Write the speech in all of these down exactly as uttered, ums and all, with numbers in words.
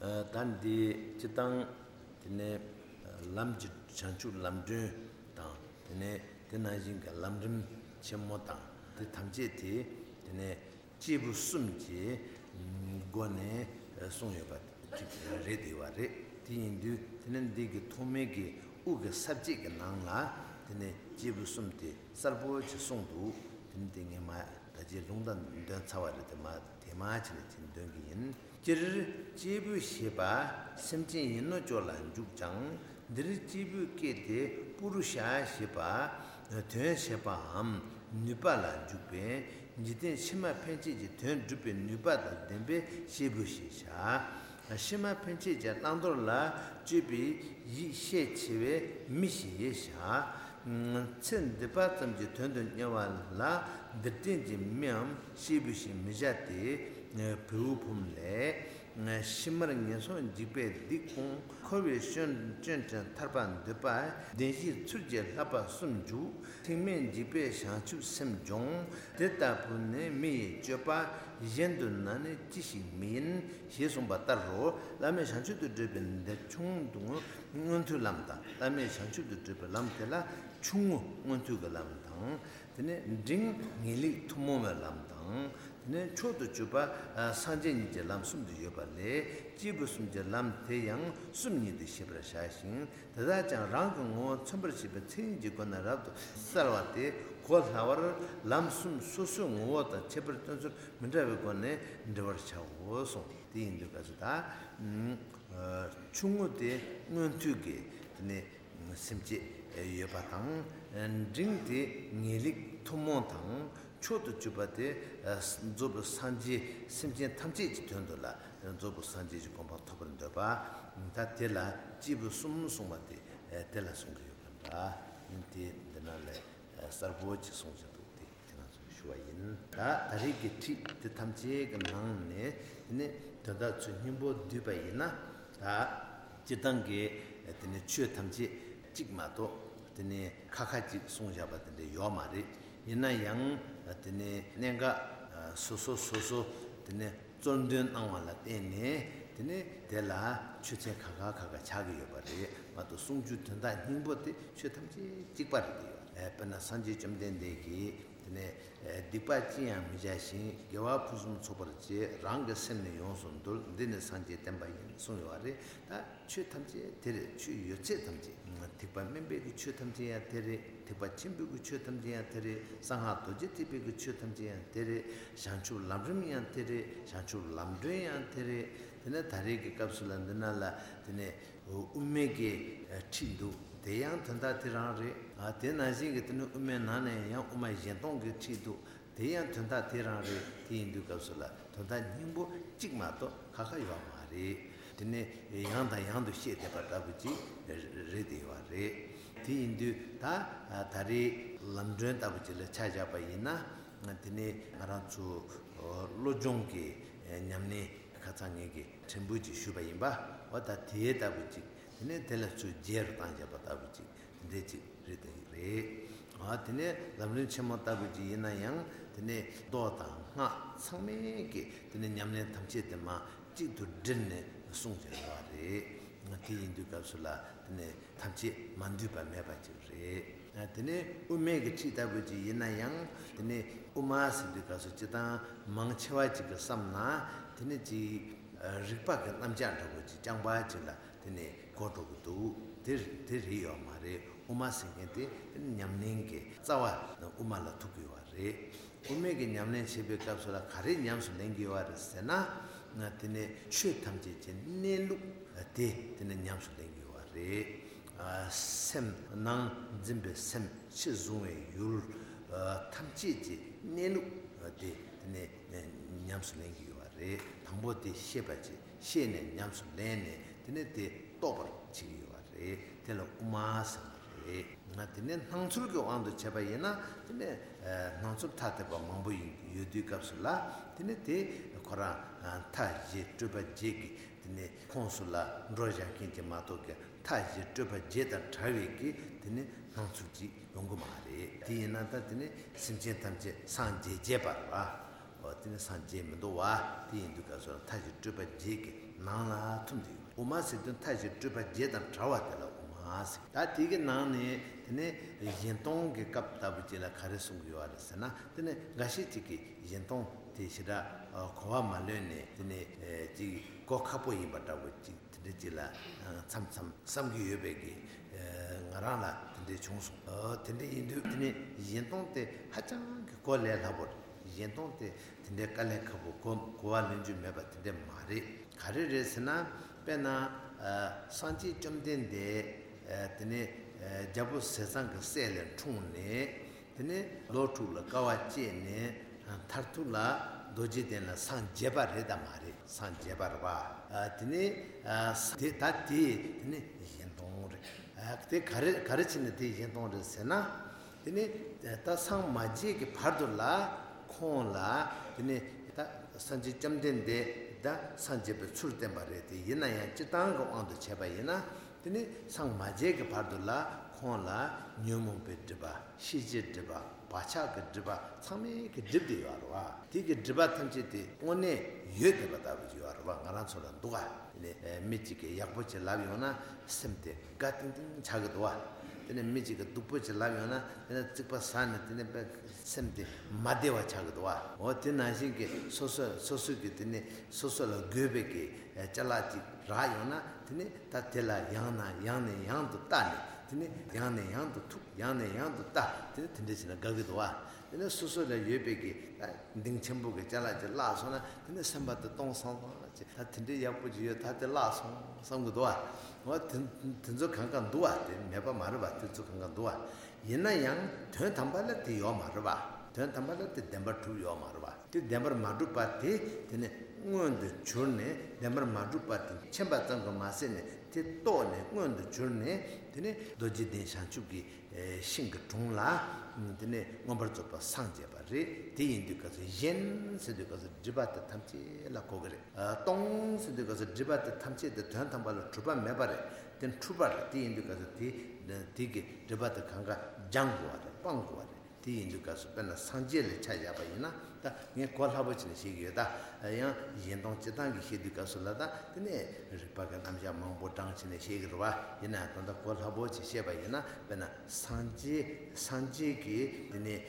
ད་འདི་སྤྱིར་བཏང་དེ་ནས་ལམ་གྱི་བྱང་ཆུབ་ལམ་སྒྲོན་དང་། དེ་ནས་དེ་ནང་བཞིན་གྱི་ལམ་རིམ་ཆེན་མོ་དང་། དེ་ཐམས་ཅད་དེ་དེ་ནས་སྐྱེས་བུ་གསུམ་གྱི་སྒོ་ནས་གསུངས་ཡོད་པ་ཅིག་རེད་བསྡད་པ་རེད། དེ་ཡིན་དུས་དེ་ནས་འདི་གི་ཐོག་མའི་གི་དབུ་གི་ས་བཅད་ཀྱི་ནང་ལ་དེ་ནས་སྐྱེས་བུ་གསུམ་དེ་གསལ་པོ་ཅིག་གསུངས་འདུག་དེ་ནས་དེ་ངས་མ་ད་ཅིག་ལུང་དང་འདོན་ཚར་བ་རེད། དེ་མ་དེ་མ་ཕྱི་ནས་ཅིག་འདོན་གི་ཡིན། སྤྱིར་སྐྱེས་བུ་ཞེས་པ་སེམས་ཅན་ཡིན་ནོ་ཅོག་ལ་འཇུག་ཀྱང་། འདིར་སྐྱེས་བུ་སྐད་དེ་པུ་རུ་ཤ་ཞེས་པ་དོན་བྱེད་པའམ་ནུས་པ་ལ་འཇུག་པས། འཇིག་རྟེན་ཕྱི་མ་ཕན་ཆད་ཀྱི་དོན་སྒྲུབ་པའི་ནུས་པ་དང་ལྡན་པས་སྐྱེས་བུ་ཞེས་བྱ། ཕྱི་མ་ཕན་ཆད་ཀྱི་བླང་དོར་ལ་དཔྱོད་པའི་ཡིད་ཤས་ཆེ་བས་མི་ཞེས་བྱ། ཚེ་འདི་པ་ཙམ་གྱི་དོན་དུ་གཉེར་བ་ལ་འདིར་བསྟན་གྱི་མིའམ་སྐྱེས་བུ་ཞེས་མི་བྱ་སྟེ། བེའུ་ཕུང་ལས། ཕྱི་མར་ངན་སོང་འཇིགས་པས་སྡིག་སྤོང་། འཁོར་བའི་སྐྱོན་སྐྱོན་བྲལ་ཐར་པ་འདོད་པ། བདེན་བཞིའི་ཚུལ་གྱིས་བསླབ་པ་གསུམ་འཇུག །ཐེག་དམན་འཇིགས་པས་བྱང་ཆུབ་སེམས་སྦྱོང་། དེ་ལྟ་བུ་ནི་མི་ཡི་སྤྱོད་པ། གཞན་དུ་ན་ནི་ཅི་ཞིག་མིན། ཞེས་གསུངས་པ་ལྟར་རོ། བླ་མེད་བྱང་ཆུབ་ཏུ་བགྲོད་པའི་འདི་ཆུང་དུ་མངོན་མངོན་མཐོའི་ལམ་དང་། བླ་མེད་བྱང་ཆུབ་ཏུ་བགྲོད་པའི་ལམ་དེ་ལ་ཆུང་ངུ་མངོན་མཐོའི་གི་ལམ་དང་། དེ་ནས་འབྲིང་ངེས་ལེགས་ཐུན་མོང་བའི་ལམ་དང་། དེ་ནས་མཆོག་ཏུ་གྱུར་པ་སངས་རྒྱས་ཉིད་ཀྱི་ལམ་གསུམ་དུ་ཡོད་པ་ལས། སྐྱེས་བུ་གསུམ་གྱི་ལམ་དེ་ཡང་གསུམ་ཉིད་དུ་ཤེས་པར་བྱ་ཞིང་། དེ་དག་ཀྱང་རང་གི་ངོ་བོ་མཚོན་པར་བྱེད་པའི་མཚན་ཉིད་ཀྱི་སྒོ་ནས་རབ་ཏུ་གསལ་བ་སྟེ། གོ་སླ་བར་ལམ་གསུམ་སོ་སོའི་ངོ་བོ་དང་ཁྱད་པར་སྟོན་ཚུལ་མི་འདྲ་བའི་སྒོ་ནས་འགྲེལ་བར་བྱའོ་གསུངས། དེ་ཡིན་དུས་སྐབས་སུ་ད་ཆུང་ངུ་དེ་མངོན་མཐོའི་གི་དེ་ནས་སེམས་བསྐྱེད་ཡོད་པ་དང་། འབྲིང་དེ་ངེས་ལེགས་ཐུན་མོང་དང་། མཆོག་ཏུ་གྱུར་པ་དེ་རྫོགས་པའི་སངས་རྒྱས་སེམས་ཅན་ཐམས་ཅད་ཀྱི་དོན་དུ་ལ་རྫོགས་པའི་སངས་རྒྱས་ཀྱི་གོ་འཕང་ཐོབ་པར་འདོད་པ། ད་དེ་ལ་སྐྱེས་བུ་གསུམ་གསུངས་པ་དེ་དེ་ལ་གསུང་གི་ཡོད་པ་འདྲ། དེ་འདི་ན་ལས་གསལ་པོ་ཅིག་གསུངས་བཞག་འདུག་དེ་དེ་ང་ཚོས་ཞུ་བ་ཡིན། ད་ད་རེས་ཀྱི་ཁྲིད་དེ་ཐམས་ཅད་ཀྱི་ནང་ནས་དེ་ནས་དོན་དག་ཚོ་སྙིང་པོ་བསྡུས་པ་ཡིན་ན། ད་སྤྱིར་བཏང་གི་དེ་ནས་ཆོས་ཐམས་ཅད་གཅིག་མ་གཏོགས་དེ་ནས་ཁ་ཁ་གཅིག་གསུངས་བཞག་པ་དེ་འདྲ་ཡོད་མ་རེད། ཡིན་ན་ཡང་དེ་ནས་གནད་འགག་སོ་སོ་སོ་སོ་དེ་ནས་གཙོར་འདོན་གནང་བ་ལ་བརྟེན་ནས། དེ་ནས་དེ་ལ་ཆོས་ཚན་ཁ་ཁ་ཁ་ཁ་ཆགས་ཀྱི་ཡོད་པ་རེད་མ་གཏོགས། གསུང་རྒྱུའི་དོན་དག་སྙིང་པོ་དེ་ཆོས་ཐམས་ཅད་གཅིག་པ་རེད་དེ་ཡོད། དཔེར་ན་སངས་རྒྱས་བཅོམ་ལྡན་འདས་ཀྱིས་དེ་ནས་སྡིག་པ་ཅི་ཡང་མི་བྱ་ཞིང་། དགེ་བ་ཕུན་སུམ་ཚོགས་པར་བྱེད། རང་གི་སེམས་ནི་ཡོངས་སུ་འདུལ། འདི་ནི་སངས་རྒྱས་བསྟན་པ་ཡིན། གསུངས་ཡོད་པ་རེད། ད་ཆོས་ཐམས་ཅད་དེ་རེད། ཆོས་ཡོད་ཚད་ཐམས་ཅད། ཐེག་པ་དམན་པའི་གི་ཆོས་ཐམས་ཅད་ཡང་དེ་རེད། ཐེག་པ་ཆེན་པོའི་གི་ཆོས་ཐམས་ཅད་ཡང་དེ་རེད། གསང་སྔགས་རྡོ་རྗེ་ཐེག་པའི་གི་ཆོས་ཐམས་ཅད་ཡང་དེ་རེད། བྱང་ཆུབ་ལམ་རིམ་ཡང་དེ་རེད། བྱང་ཆུབ་ལམ་སྒྲོན་ཡང་དེ་རེད། དེ་ནས་ད་རེས་ཀྱི་སྐབས་སུ་ལ་འདི་ན་ལ་དེ་ནས་དབུ་མའི་གི་ཁྲིད་འདུག་དེ་ཡང་དོན་དག་དེ་རང་རེད། དེ་ནང་བཞིན་གྱི་དེ་ནས་དབུ་མའི་ནང་ནས་ཡང་དབུ་མ་གཞན་སྟོང་གི་ཁྲིད་འདུག་དེ་ཡང་དོན་དག་དེ་རང་རེད། དེ་ཡིན་དུས་སྐབས་སུ་ལ་དོན་དག་སྙིང་པོ་གཅིག་མ་གཏོགས་ཁ་ཁ་ཡོད་མ་རེད། དེ་ནས་ཡང་དང་ཡང་དུ་བཤད་བསྡད་པ་ལྟ་བུ་ཅིག་རེད་དེ་ཡོད་རེད། དེ་ཡིན་དུས་ད་ད་རེས་ལམ་སྒྲོན་ལྟ་བུ་ཅིག་ལ་ཆ་བཞག་པ་ཡིན་ན། དེ་ནས་ང་རང་ཚོ་བློ་སྦྱོང་གི་ཉམས་ལེན་ཁ་སང་ངེད་ཀྱིས་ཕྲན་བུ་ཅིག་ཞུས་པ་ཡིན་པ། འོ་ད་དེ་ལྟ་བུ་ཅིག་དེ་ནས་དེ་ལ་ཚུར་རྗེས་རུ་བཏང་བཞག་པ་ལྟ་བུ་ཅིག་འདི་ཅིག་རེད་དེ་རེད། ཨ་དེ་ནས་ལམ་རིམ་ཆེན་མོ་ལྟ་བུ་ཅིག་ཡིན་ན་ཡང་། དེ་ནས་མདོ་དང་སྔགས་ཚང་མའི་གི་དེ་ནས་ཉམས་ལེན་ཐམས་ཅད་དེ་མ་གཅིག་ཏུ་དྲིལ་ནས་གསུངས་བཞག་ཡོད་རེད། དེ་ཡིན་དུས་སྐབས་སུ་ལ་དེ་ནས་ཐམས་ཅད་མ་འདུས་པ་མེད་པ་ཅིག་རེད། ཨ་དེ་ནས་དབུ་མའི་གི་ཁྲིད་ལྟ་བུ་ཅིག་ཡིན་ན་ཡང་། དེ་ནས་དབུ་མ་ཟེར་དུས་སྐབས་སུ་སྤྱིར་བཏང་མང་ཆེ་བ་ཅིག་གི་བསམ་ན། དེ་ནས་ཅིག་རིག་པ་གི་རྣམ་གཞག་འདྲ་བོ་ཅིག་རྐྱང་པ་ཅིག་ལ་དེ་ནས་གོ་འགྲོ་གི་འདུག་དེ་དེ་རེད་ཡོད་མ་རེད། དབུ་མ་ཟེར་མཁན་དེ་དེ་ནི་ཉམས་ལེན་གྱི་རྩ་བ་དབུ་མ་ལ་ཐུག་གི་ཡོད་པ་རེད། དབུ་མའི་གི་ཉམས་ལེན་བྱེད་པའི་སྐབས་སུ་ལ་ག་རེ་ཉམས་སུ་ལེན་གྱི་ཡོད་པ་རེད་ཟེར་ན། དེ་ནི་ཆོས་ཐམས་ཅད་ཀྱི་གནས་ལུགས་དེ་དེ་ནི་ཉམས་སུ་ལེན་གྱི་ཡོད་པ་རེད། སེམས་ནང་འཛིན་པའི་སེམས། ཕྱི་གཟུང་བའི་ཡུལ་ཐམས་ཅད་ཀྱི་གནས་ལུགས་དེ་དེ་ནི་ཉམས་སུ་ལེན་གྱི་ཡོད་པ་རེད། དང་པོ་དེ་ཤེས་པ་བྱེད། ཤེས་ནས་ཉམས་སུ་ལེན་ནས་དེ་ནས་དེ་རྟོགས་པར་བྱེད་ཀྱི་ཡོད་པ་རེད། དེ་ལ་དབུ་མ་ཟེར་བ་རེད། ང་དེ་ནས་སྣང་ཚུལ་གྱི་དབང་དུ་བྱས་པ་ཡིན་ན། དེ་ནས་སྣང་ཚུལ་ཐ་དད་པ་མང་པོ་ཡིན་ཡོད་དུས་སྐབས་སུ་ལ། དེ་ནས་དེ་ཁོ་རང་མཐའ་བཞི་སྤྲོས་པ་བརྒྱད་ཀྱི་དེ་ནས་ཁོངས་སུ་ལ་འགྲོ་བཞག་མཁན་གྱི་མ་གཏོགས་ཀྱི། མཐའ་བཞི་སྤྲོས་པ་བརྒྱད་དང་བྲལ་བའི་གི་དེ་ནི་སྣང་ཚུལ་ཅིག་ཡོང་གི་མ་རེད། དེ་ཡིན་ན་ད་དེ་ནི་སེམས་ཅན་ཐམས་ཅད་སངས་རྒྱས་རྒྱས་པར་བ། དེ་ནི་སངས་རྒྱས་མི་འདུག་བ། དེ་ཡིན་དུས་སྐབས་སུ་མཐའ་བཞི་སྤྲུལ་པ་བརྒྱད་ཀྱི་ནང་ལ་ཐུམ་དེ་ཡོད། དབུ་མ་ཟེར་དུས་མཐའ་བཞི་སྤྲུལ་པ་བརྒྱད་དང་བྲལ་བ་དེ་ལ་དབུ་མ་ཟེར། ད་དེ་གི་ནང་ནས་དེ་ནི་གཞན་སྟོང་གི་སྐབས་ལྟ་བུ་ཅིག་ལ་ག་རེ་གསུང་གི་ཡོད་རེད་ཟེར་ན། དེ་ནི་འགའ་ཤས་ཅིག་གིས་གཞན་སྟོང་དེ་ཞེ་དྲག་གོ་བ་མ་ལོན་ནས། དེ་ནི་ཅིག་གོ་ཁག་པོ་ཡིན་པ་འདྲ་བོ་ཅིག་དེ་འདྲ་ཅིག་ལ་མཚམས་མཚམས་བསམ་གྱི་ཡོད་པའི་གི་ང་རང་ལ་དེ་འདྲ་བྱུང་སོང་། དེ་འདྲ་ཡིན་དུས་དེ་ནི་གཞན་སྟོང་དེ་ཧ་ཅང་གི་གོ་ལས་སླ་པོ་རེད། གཞན་སྟོང་དེ་དེ་འདྲའི་དཀའ་ལས་ཁག་པོ་གོ་གོ་བ་ལོན་རྒྱུ་མེད་པ་དེ་འདྲ་མ་རེད། ག་རེ་རེད་ཟེར་ན། དཔེར་ན་སངས་རྒྱས་བཅོམ་ལྡན་འདས་དེ་ནི་རྒྱལ་པོ་ཟས་གཙང་གི་སྲས་ལས་འཁྲུངས་ནས། དེ་ནས་ལོ་དྲུག་ལ་དཀའ་བ་སྤྱད་ནས་མཐར་ཐུག་ལ་རྡོ་རྗེ་གདན་ལ་སངས་རྒྱས་པ་རེད་དམ་མ་རེད། སངས་རྒྱས་པ་རེད་པ། དེ་ནས་དེ་ད་དེ་དེ་ནས་གཞན་སྟོང་རེད། དེ་ག་རེ་ག་རེ་བྱས་ནས་དེ་གཞན་སྟོང་རེད་ཟེར་ན། དེ་ནས་ད་སངས་མ་རྒྱས་ཀྱི་བར་དུ་ལ་ཁོང་ལ་དེ་ནས་ད་སངས་རྒྱས་བཅོམ་ལྡན་འདས་ད་སངས་རྒྱས་པའི་ཚུལ་བསྟན་པ་རེད། དེ་ཡིན་ན་ཡང་སྤྱིར་བཏང་གི་དབང་དུ་བྱས་པ་ཡིན་ན། དེ་ནི་སངས་མ་རྒྱས་ཀྱི་བར་དུ་ལ་ཁོང་ལ་ཉོན་མོངས་པའི་སྒྲིབ་པ། ཤེས་བྱའི་སྒྲིབ་པ། བག་ཆགས་ཀྱི་སྒྲིབ་པ། ཚང་མས་ཀྱི་སྒྲིབ་དེ་ཡོད་རེད་བ། དེ་གི་སྒྲིབ་པ་ཐམས་ཅད་དེ་དངོས་གནས་ཡོད་བསྡད་པ་ལྟ་བུ་ཅིག་ཡོད་རེད་བ། ང་རང་ཚོ་ལ་འདུག་ག་དེ་ནི་མི་གཅིག་གིས་ཡག་པོ་ཅིག་ལབ་ཡོང་ན་སེམས་དེ་དགའ་ཏིང་ཏིང་ཆགས་ཀྱི་འདུག་བ། དེ་ནི་མི་གཅིག་གིས་སྡུག་པོ་ཅིག་ལབ་ཡོང་ན་དེ་ནི་རྩིག་པ་ཟ་ནས་དེ་ནི་དཔེ་སེམས་དེ་མ་བདེ་བ་ཆགས་ཀྱི་འདུག་བ། འོ་དེ་ནང་བཞིན་གྱི་སོ་སོ་སོ་སོ་གི་དེ་ནི་སོ་སོ་ལ་དགོས་པའི་གི་ཅ་ལག་ཅིག་རག་ཡོང་ན། དེ་ནི་ད་དེ་ལ་ཡང་ན་ཡང་ནས་ཡང་དུ་བལྟ་ནས། དེ་ནི་ཡང་ནས་ཡང་དུ་ཐུག་ཡང་ནས་ཡང་དུ་བལྟ། དེ་ནི་དེ་འདྲ་བྱས་ན་དགའ་གི་འདུག་བ། དེ་ནི་སོ་སོ་ལ་ཡོད་པའི་གི་ད་གདིང་ཆེན་པོ་གི་ཅ་ལག་ཅིག་བརླག་སོང་ན། དེ་ནི་སེམས་པ་དེ་སྟོང་སང་སང་ཅིག་ད་དེ་འདྲའི་ཡག་པོ་ཅིག་ཡོད། ད་དེ་བརླག་སོང་བསམ་གི་འདུག་བ། འོ་དེ་དེ་ཚོ་གང་ག་འདུག་བ། དེ་མེད་པ་མ་རེད་བ། དེ་ཚོ་གང་ག་འདུག་བ། ཡིན་ན་ཡང་དོན་དམ་པ་ལ་དེ་ཡོད་མ་རེད་བ། དོན་དམ་པ་ལ་དེ་བདེན་པར་གྲུབ་ཡོད་མ་རེད་བ། དེ་བདེན་པར་མ་གྲུབ་པ་དེ་དེ་ནི་མངོན་དུ་གྱུར་ནས། བདེན་པར་མ་གྲུབ་པ་དེ་མཁྱེན་པ་ཙམ་གྱིས་མ་ཟད་ནས་དེ་རྟོགས་ནས་མངོན་དུ་གྱུར་ནས། དེ་ནི་རྡོ་རྗེ་གདན་བྱང་ཆུབ་ཀྱི་ཤིང་གི་དྲུང་ལ་དེ་ནི་མངོན་པར་རྫོགས་པར་སངས་རྒྱས་པ་རེད། དེ་ཡིན་དུས་སྐབས་སུ་གཞན་ཟེར་དུས་སྐབས་སུ་སྒྲིབ་པ་དེ་ཐམས་ཅད་ལ་གོ་གི་རེད། སྟོང་ཟེར་དུས་སྐབས་སུ་སྒྲིབ་པ་དེ་ཐམས་ཅད་དེ་དོན་དམ་པ་ལ་གྲུབ་པ་མེད་པ་རེད། དེ་འཁྲུལ་པ་རེད། དེ་ཡིན་དུས་སྐབས་སུ་དེ་དེ་གི་སྒྲིབ་པ་དེ་གང་ག་སྦྱང་དགོས་པ་རེད། སྤང་དགོས་པ་རེད། དེ་ཡིན་དུས་སྐབས་སུ་དཔེར་ན་སངས་རྒྱས་ལ་ཆ་བཞག་པ་ཡིན་ན། ད་ངས་གོ་སླ་པོ་བྱས་ནས་བཤད་ཀྱི་ཡོད། ད་ཡང་གཞན་སྟོང་སྤྱིར་བཏང་གི་བཤད་དུས་སྐབས་སུ་ལ། ད་དེ་ནས་རིགས་པ་གི་རྣམ་གཞག་མང་པོ་བགྲངས་བྱས་ནས་བཤད་ཀྱི་རེད་བ། ཡིན་ན་ད་ལྟ་གོ་སླ་པོ་བྱས་བཤད་པ་ཡིན་ན། དཔེར་ན་སངས་རྒྱས་སངས་རྒྱས་ཀྱི་དེ་ནས་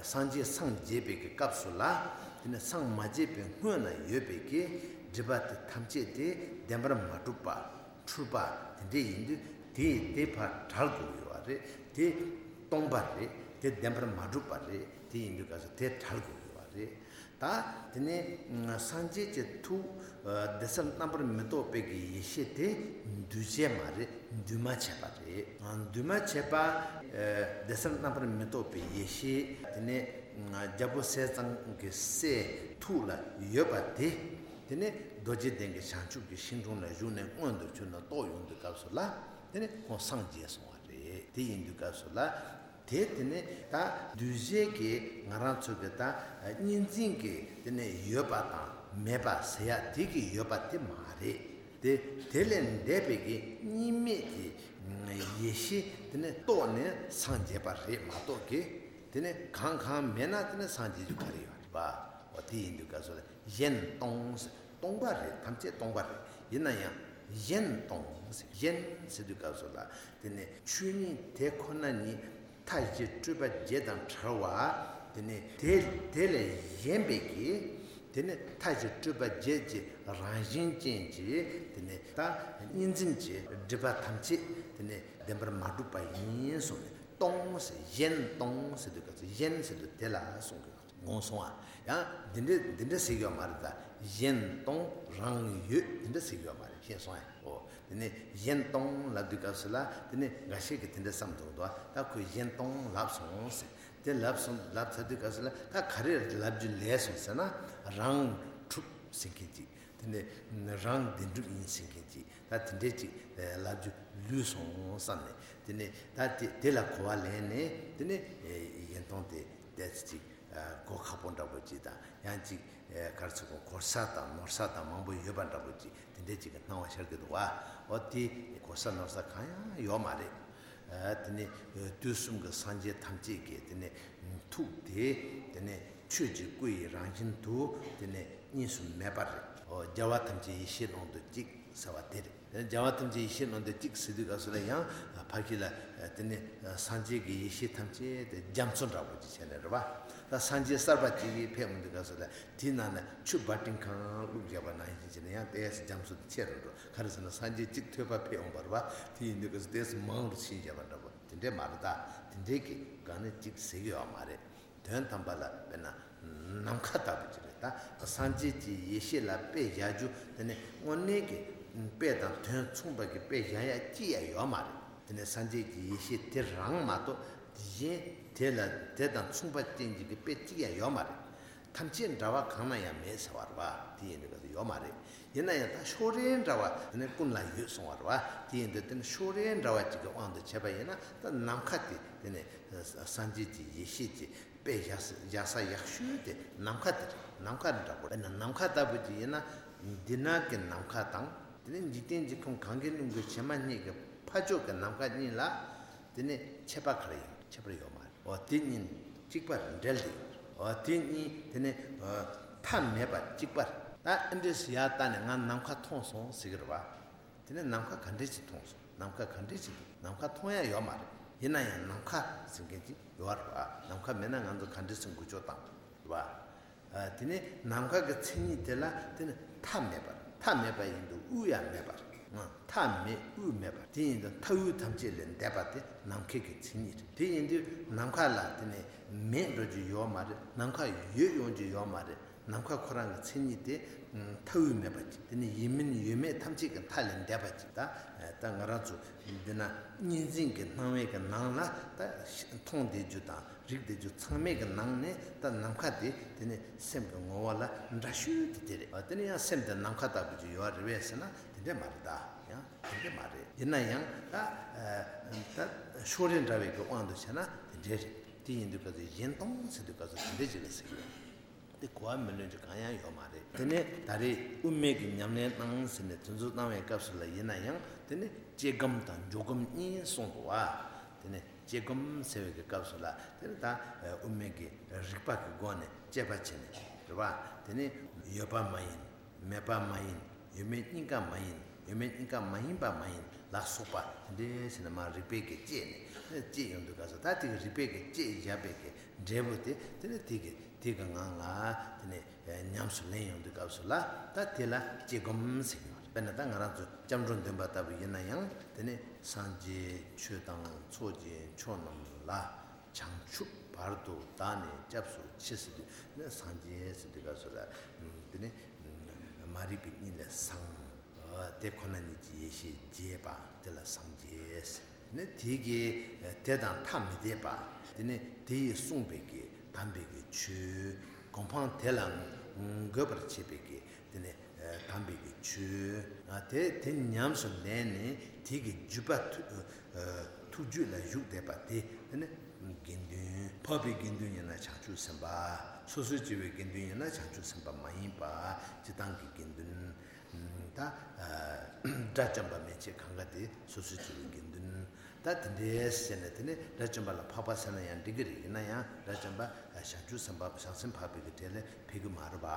སངས་རྒྱས་སངས་རྒྱས་པའི་གི་སྐབས་སུ་ལ། དེ་ནས་སངས་མ་རྒྱས་པའི་སྔོན་ན་ཡོད་པའི་གི་སྒྲིབ་པ་དེ་ཐམས་ཅད་དེ་བདེན་པར་མ་གྲུབ་པ། འཁྲུལ་པ་དེ་འདྲ་ཡིན་དུས་དེ་དེ་ཕར་བྲལ་དགོས་ཡོད་པ་རེད། དེ་སྟོང་པ་རེད། དེ་བདེན་པར་མ་གྲུབ་པ་རེད། དེ་ཡིན་དུས་སྐབས་སུ་དེ་བྲལ་དགོས་ཡོད་པ་རེད། ད་དེ་ནས་སངས་རྒྱས་ཀྱི་ཐུགས་བདེ་གསལ་རྣམ་པར་མི་རྟོག་པའི་གི་ཡེ་ཤེས་དེ་འདུས་བྱས་མ་རེད། འདུས་མ་བྱས་པ་རེད། འདུས་མ་བྱས་པ། བདེ་གསལ་རྣམ་པར་མི་རྟོག་པའི་ཡེ་ཤེས་དེ་ནས་རྒྱལ་པོ་ཟས་གཙང་གི་སྲས་ཐུགས་ལ་ཡོད་པ་དེ། དེ་ནས་རྡོ་རྗེ་གདན་གྱི་བྱང་ཆུབ་ཀྱི་ཤིང་དྲུང་ལ་བཞུགས་ནས་མངོན་དུ་གྱུར་ནས་རྟོགས་ཡོང་དུས་སྐབས་སུ་ལ། དེ་ནས་ཁོང་སངས་རྒྱས་སོང་བ་རེད། དེ་ཡིན་དུས་སྐབས་སུ་ལ། དེ་དེ་ནས་ད་འདུས་བྱས་ཀྱི་ང་རང་ཚོ་གི་ད་གཉིས་འཛིན་གྱི་དེ་ནས་ཡོད་པ་དང་མེད་པ་ཟེར་ཡ་དེ་གི་ཡོད་པ་དེ་མ་རེད། དེ་དེ་ལས་འདས་པའི་གི་གཉིས་མེད་ཀྱི་ཡེ་ཤེས་དེ་ནས་རྟོགས་ནས་སངས་རྒྱས་པ་རེད་མ་གཏོགས་གི། དེ་ནས་གང་གང་མེད་ན་དེ་ནས་སངས་རྒྱས་རྒྱུ་ག་རེ་ཡོད་རེད་པ། འོ་དེ་ཡིན་དུས་སྐབས་སུ་ལ་གཞན་སྟོང་ཟེར། སྟོང་པ་རེད། ཐམས་ཅད་སྟོང་པ་རེད། ཡིན་ན་ཡང་གཞན་སྟོང་ཟེར། གཞན་ཟེར་དུས་སྐབས་སུ་ལ་དེ་ནས་ཆོས་ཉིད་དེ་ཁོ་ན་ཉིད་མཐའ་བཞི་སྤྲོས་པ་བརྒྱད་དང་བྲལ་བ། དེ་ནས་དེ་དེ་ལས་གཞན་པའི་གི་དེ་ནས་མཐའ་བཞི་སྤྲོས་པ་བརྒྱད་ཀྱི་རང་བཞིན་ཅན་གྱི་དེ་ནས་ད་གཉིས་འཛིན་གྱི་སྒྲིབ་པ་ཐམས་ཅད་དེ་ནས་བདེན་པར་མ་གྲུབ་པ་ཡིན་གསུངས་ནས། སྟོང་ཟེར། གཞན་སྟོང་ཟེར་དུས་སྐབས་སུ་གཞན་ཟེར་དུས་དེ་ལ་གསུང་གི་ཡོད། ངོ་སོང་ཨ། ཡང་འདི་འདྲ་འདི་འདྲ་ཟེར་གྱི་ཡོད་མ་རེད། ད་གཞན་སྟོང་རང་ཡོད་འདི་འདྲ་ཟེར་གྱི་ཡོད་མ་རེད། ཤེས་སོང་ཨ། འོ་དེ་ནས་གཞན་སྟོང་ལབ་དུས་སྐབས་སུ་ལ་དེ་ནས་འགའ་ཤས་ཀྱིས་དེ་འདྲ་བསམ་འདུག་ད་ཁོས་གཞན་སྟོང་ལབ་སོང་ཟེར། དེ་ལབ་སོང་ལབ་ཚར་དུས་སྐབས་སུ་ལ་ད་ག་རེ་ལབ་རྒྱུ་ལས་སོང་ཟེར་ན། རང་གྲུབ་ཟེར་མཁན་ཅིག་དེ་ནས་རང་བདེན་གྲུབ་ཡིན་ཟེར་མཁན་ཅིག་ད་དེ་འདྲས་ཅིག་ལབ་རྒྱུ་ལུས་སོང་བསམ་ནས། དེ་ནས་ད་དེ་དེ་ལ་གོ་བ་ལེན་ནས། དེ་ནས་གཞན་སྟོང་དེ་ཏོག་ཙམ་ཅིག་གོ་ཁག་པོ་འདྲ་པོ་ཅིག་དང་། ཡང་ཅིག་ག་རེ་ཟེར་དགོས། གོ་ས་དང་ནོར་ས་དང་མང་པོ་ཡོད་པ་འདྲ་པོ་ཅིག་དེ་འདྲས་ཅིག་གི་སྣང་བ་ཤར་གྱི་འདུག་བ། འོ་དེ་གོ་ས་ནོར་ས་གང་ཡང་ཡོད་མ་རེད། དེ་ནས་དུས་གསུམ་གྱི་སངས་རྒྱས་ཐམས་ཅད་ཀྱི་དེ་ནས་ཐུགས་དེ་དེ་ནས་ ཆོས་ཀྱི་སྐུ་ཡི་རང་བཞིན་དུ་དེ་ནས་གཉིས་སུ་མེད་པར་རེད། ཨོ་རྒྱལ་བ་ཐམས་ཅད་ཡེ་ཤེས་ཀློང་དུ་གཅིག་ཟེར་བ་དེ་རེད། རྒྱལ་བ་ཐམས་ཅད་ཡེ་ཤེས་ཀློང་དུ་གཅིག་ཟེར་དུས་སྐབས་སུ་ལ་ཡང་ཕ་གི་ལ་དེ་ནས་སངས་རྒྱས་ཀྱི་ཡེ་ཤེས་ཐམས་ཅད་དེ་རྒྱ་མཚོ་འདྲ་པོ་ཅིག་བྱས་ནས་རེད་པ། ད་སངས་རྒྱས་གསར་པ་ཅིག་གིས་ཕེབས་འོང་དུས་སྐབས་སུ་ལ་དེའི་ནང་ན་ཆུ་བ་ཏིང་གང་བླུགས་བཞག་པ་ནང་བཞིན་བྱས་ནས་ཡང་ཏོག་ཙམ་རྒྱ་མཚོ་དེ་ཆེ་རུ་འགྲོ། ག་རེ་ཟེར་ན་སངས་རྒྱས་གཅིག་ཐོས་པ་ཕེབས་འོང་བ་རེད་པ། དེ་ཡིན་དུས་སྐབས་སུ་ཏོག་ཙམ་མང་རུ་ཕྱིན་བཞག་པ་འདྲ་པོ་དེ་འདྲས་མ་རེད། ད་དེ་འདྲས་ཀྱི་སྒང་ནས་གཅིག་ཟེར་གྱི་ཡོད་མ་རེད། དོན་དམ་པ་ལ་དཔེར་ན་ནམ་མཁའ་ལྟ་བུ་ཅིག་རེད། ད་སངས་རྒྱས་ཀྱི་ཡེ་ཤེས་ལ་དཔེ་བཞག་རྒྱུ་དེ་ནི་དངོས་གནས་ཀྱི་དཔེ་དང་དོན་མཚུངས་པ་གི་དཔེ་བཞག་ཡ་ཅི་ཡང་ཡོད་མ་རེད། དེ་ནི་སངས་རྒྱས་ཀྱི་ཡེ་ཤེས་དེ་རང་མ་གཏོགས་དེ་གཞན་དེ་ལ་དེ་དང་མཚུངས་པ་ཅན་ཅིག་གི་དཔེ་ཅི་ཡང་ཡོད་མ་རེད། ཐམས་ཅད་འདྲ་བ་གང་ན་ཡང་མེད་ཟེར་བ་རེད་པ། དེ་ཡིན་དུས་སྐབས་སུ་ཡོད་མ་རེད། ཡིན་ན་ཡང་ད་ཕྱོགས་རིས་འདྲ་བ་དེ་ནི་ཀུན་ལ་ཡོད་གསུང་བ་རེད་པ། དེ་ཡིན་དུས་དེ་ནི་ཕྱོགས་རིས་འདྲ་བ་ཅིག་གི་དབང་དུ་བྱས་པ་ཡིན་ན་ད་ནམ་མཁའ་དེ་དེ་ནི་སངས་རྒྱས་ཀྱི་ཡེ་ཤེས་ཀྱི་དཔེ་བཞག་ས་བཞག་ས་ཡག་ཤོས་དེ་ནམ་མཁའ་དེ་རེད། ནམ་མཁའ་འདྲ་པོ་རེད། ནམ་མཁའ་ལྟ་བུ་ཅིག་ཡིན་ན་འདི་ན་གི་ནམ་མཁའ་དང་དེ་ནི་འཇིག་རྟེན་གྱི་ཁམས་གངྒཱའི་ཀླུང་གི་བྱེ་མ་སྙེད་ཀྱི་ཕ་ཕྱོགས་ཀྱི་ནམ་མཁའ་གཉིས་ལ་དེ་ནི་ཁྱད་པར་ག་རེ་ཡོད། ཁྱད་པར་ཡོད་མ་རེད། འོ་དེ་གཉིས་གཅིག་པར་འབྲེལ་ཏེ། འོ་དེ་གཉིས་དེ་ནི་མཐའ་མེད་པར་གཅིག་པར། ད་ཨེ་འདྲས་སུ་ཡར་ལྟ་ནས་ང་ནམ་མཁའ་མཐོང་སོང་ཟེར་གི་རེད་པ། དེ་ནས་ནམ་མཁའ་ག་འདྲས་ཅིག་མཐོང་སོང་། ནམ་མཁའ་ག་འདྲས་ཅིག་འདུག་ནམ་མཁའ་མཐོང་ཡ་ཡོད་མ་རེད། ཡིན་ན་ཡང་ནམ་མཁའ་ཟེར་མཁན་ཅིག་ཡོད་རེད་པ། ནམ་མཁའ་མེད་ན་ང་ཚོ་ག་འདྲས་སེ་འགུལ་སྐྱོད་བཏང་རེད་པ། དེ་ནས་ནམ་མཁའ་གི་མཚན་ཉིད་དེ་ལ་དེ་ནི་མཐའ་མེད་པར། མཐའ་མེད་པ་ཡིན་དུས་དབུས་ཡང་མེད་པར། མཐའ་མེད་དབུས་མེད་པར། དེ་ཡིན་དུས་མཐའ་དབུས་ཐམས་ཅད་ལས་འདས་པ་དེ་ནམ་མཁའི་གི་མཚན་ཉིད་རེད། དེ་ཡིན་དུས་ནམ་མཁའ་ལ་དེ་ནི་མེད་འགྲོ་རྒྱུ་ཡོད་མ་རེད། ནམ་མཁའ་ཡོད་ཡོང་རྒྱུ་ཡོད་མ་རེད། ནམ་མཁའ་ཁོ་རང་གི་མཚན་ཉིད་དེ་མཐའ་དབུས་མེད་པ་ཅིག་དེ་ནི་ཡིན་མིན་ཡོད་མེད་ཐམས་ཅད་ཀྱི་མཐའ་ལས་འདས་པ་ཅིག་ད་ད་ང་རང་ཚོ་འདི་ན་གཉིས་འཛིན་གྱི་སྣང་བའི་གི་ནང་ལ་ད་མཐོང་བསྡད་རྒྱུ་དང་རིག་བསྡད་རྒྱུ་ཚང་མའི་གི་ནང་ནས་ད་ནམ་མཁའ་དེ་དེ་ནི་སེམས་ཀྱི་ངོ་བོ་ལ་འདྲ་ཤོས་དེ་དེ་རེད། དེ་ནི་ཡང་སེམས་དེ་ནམ་མཁའ་ལྟ་བུ་ཅིག་ཡོད་རེད་པས་ཟེར་ན་དེ་འདྲས་མ་རེད། ད་ཡང་དེ་འདྲས་མ་རེད། ཡིན་ན་ཡང་ད་ད་ཕྱོགས་རིས་འདྲ་བའི་གི་དབང་དུ་བྱས་ན་དེ་འདྲས་རེད། དེ་ཡིན་དུས་སྐབས་སུ་གཞན་སྟོང་ཟེར་དུས་སྐབས་སུ་དེ་འདྲས་ཅིག་ལ་ཟེར་གི་ཡོད། དེ་གོ་བ་མི་ལོན་རྒྱུ་གང་ཡང་ཡོད་མ་རེད། དེ་ནས་ད་རེས་དབུ་མའི་གི་ཉམས་ལེན་གནང་ཟེར་ནས་དེ་ཚོ་བཏང་བའི་སྐབས་སུ་ལ་ཡིན་ན་ཡང་དེ་ནས་སྐྱེ་སྒོམ་དང་འཇོག་སྒོམ་གཉིས་གསུངས་འདུག་བ། དེ་ནས་སྐྱེ་སྒོམ་ཟེར་བའི་གི་སྐབས་སུ་ལ་དེ་ནས་ད་དབུ་མའི་གི་རིགས་པ་གི་སྒོ་ནས་དཔྱད་པ་བྱས་ནས་རེད་བ། དེ་ནས་ཡོད་པ་མ་ཡིན། མེད་པ་མ་ཡིན། ཡོད་མེད་གཉིས་ཀ་མ་ཡིན། ཡོད་མེད་གཉིས་ཀ་མ་ཡིན་པ་མ་ཡིན་ལ་སོགས་པ་དེ་འདྲས་ཟེར་ནས་མ་རིགས་པའི་གི་དཔྱད་ནས་དཔྱད་ཡོང་དུས་སྐབས་སུ་ད་དེ་གི་རིགས་པའི་གི་དཔྱད་བཞག་པའི་གི་འབྲས་བུ་དེ་དེ་ནི་དེ་གི་དེ་གི་ངང་ལ་དེ་ནི་ཉམས་སུ་ལེན་ཡོང་དུས་སྐབས་སུ་ལ་ད་དེ་ལ་སྐྱེ་སྒོམ་ཟེར་གྱི་ཡོད་རེད། དཔེར་ན་ད་ང་རང་ཚོ་སྐྱབས་འགྲོ་འདོན་པ་ལྟ་བུ་ཡིན་ན་ཡང་དེ་ནི་སངས་རྒྱས་ཆོས་དང་ཚོགས་ཀྱི་མཆོག་རྣམས་ལ། བྱང་ཆུབ་བར་དུ་བདག་ནི་སྐྱབས་སུ་མཆི་ཟེར་དུས་ནི་སངས་རྒྱས་ཟེར་དུས་སྐབས་སུ་ལ་དེ་ནི་མ་རིག་པའི་གཉིད་ལས་སངས། དེ་ཁོ་ན་ཉིད་ཀྱི་ཡེ་ཤེས་རྒྱས་པ་དེ་ལ་སངས་རྒྱས་ཟེར། ནི་དེ་གི་དེ་དང་ཐ་མི་དད་པ། དེ་ནི་དེ་ཡིས་གསུངས་པའི་གི་དམ་པའི་གི་ཆོས་གོ་འཕང་དེ་ལ་འགོད་པར་བྱེད་པའི་གི་དེ་ནི་དམ་པའི་གི་ཆོས་དེ་དེ་ཉམས་སུ་ལེན་ནས་དེ་གི་བརྒྱུད་པ་ཐུགས་རྒྱུད་ལ་བཞུགས་བསྡད་པ་དེ་དེ་ནི་དགེ་འདུན། འཕགས་པའི་དགེ་འདུན་ཡིན་ན་བྱང་ཆུབ་སེམས་དཔའ། སོ་སོའི་སྐྱེ་བོའི་དགེ་འདུན་ཡིན་ན་བྱང་ཆུབ་སེམས་དཔའ་མ་ཡིན་པ། སྤྱིར་བཏང་གི་དགེ་འདུན། ད་དགྲ་བཅོམ་པ་མན་ཆད་གང་ག་དེ་སོ་སོའི་སྐྱེ་བོའི་དགེ་འདུན། ད་དེ་འདྲའི་ཟེར་ནས་དེ་ནི་དགྲ་བཅོམ་པ་ལ་འཕགས་པ་ཟེར་ན་ཡང་འགྲིག་གི་རེད། ཡིན་ན་ཡང་དགྲ་བཅོམ་པ་བྱང་ཆུབ་སེམས་དཔའ་བྱང་སེམས་འཕགས་པའི་གི་གྲས་ལས་ཕེབས་ཀྱི་མ་རེད་པ།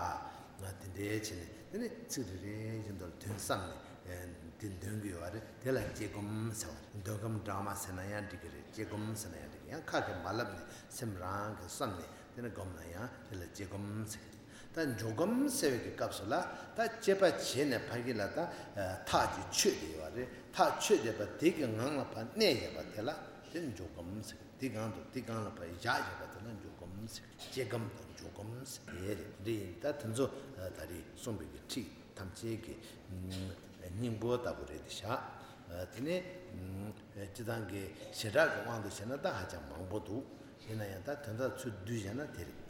ང་དེ་འདྲའི་བྱས་ནས་དེ་ནི་ཚིག་རེ་རེ་བཞིན་དུ་དོན་བསམ་ནས་དེ་འདོན་གྱི་ཡོད་རེད། དེ་ལ་སྐྱེ་སྒོམ་ཟེར་བ་རེད། འདོན་སྒོམ་སྦྲགས་མ་ཟེར་ན་ཡང་འགྲིག་གི་རེད། སྐྱེ་སྒོམ་ཟེར་ན་ཡང་འགྲིག་གི། ཡང་ཁ་གིས་མ་ལབ་ནས་སེམས་རང་གིས་བསམ་ནས་དེ་ནི་སྒོམ་ན་ཡང་དེ་ལ་སྐྱེ་སྒོམ་ཟེར་གི་རེད། ད་འཇོག་སྒོམ་ཟེར་བའི་གི་སྐབས་སུ་ལ་ད་དཔྱད་པ་བྱས་ནས་ཕ་གི་ལ་ད་ཐག་ཅིག་ཆོད་བསྡད་ཡོད་རེད། ཐག་ཆོད་བསྡད་པ་དེ་གི་ངང་ལ་ཕར་གནས་ཡོད་པ་དེ་ལ་དེ་འཇོག་སྒོམ་ཟེར་གི་རེད། དེ་སྒང་དུ་དེ་སྒང་ལ་ཕར་བཞག་ཡོད་པ་དེ་ལ་འཇོག་སྒོམ་ཟེར་གི་རེད། སྐྱེ་སྒོམ་དང་འཇོག་སྒོམ་ཟེར་གི་རེད། འདི་ཡིན། ད་དེ་ཚོ་ད་རེས་གསུངས་པའི་གི་ཁྲིད་ཐམས་ཅད་ཀྱི་སྙིང་པོ་ལྟ་བུ་རེད་ཤག་དེ་ནས་སྤྱིར་བཏང་གི་བྱེ་བྲག་གི་དབང་དུ་བྱས་ན་ད་ཧ་ཅང་མང་པོ་འདུག་ཡིན་ན་ཡང་ད་དོན་དག་ཚུར་བསྡུས་བྱས་ན་དེ་རེད།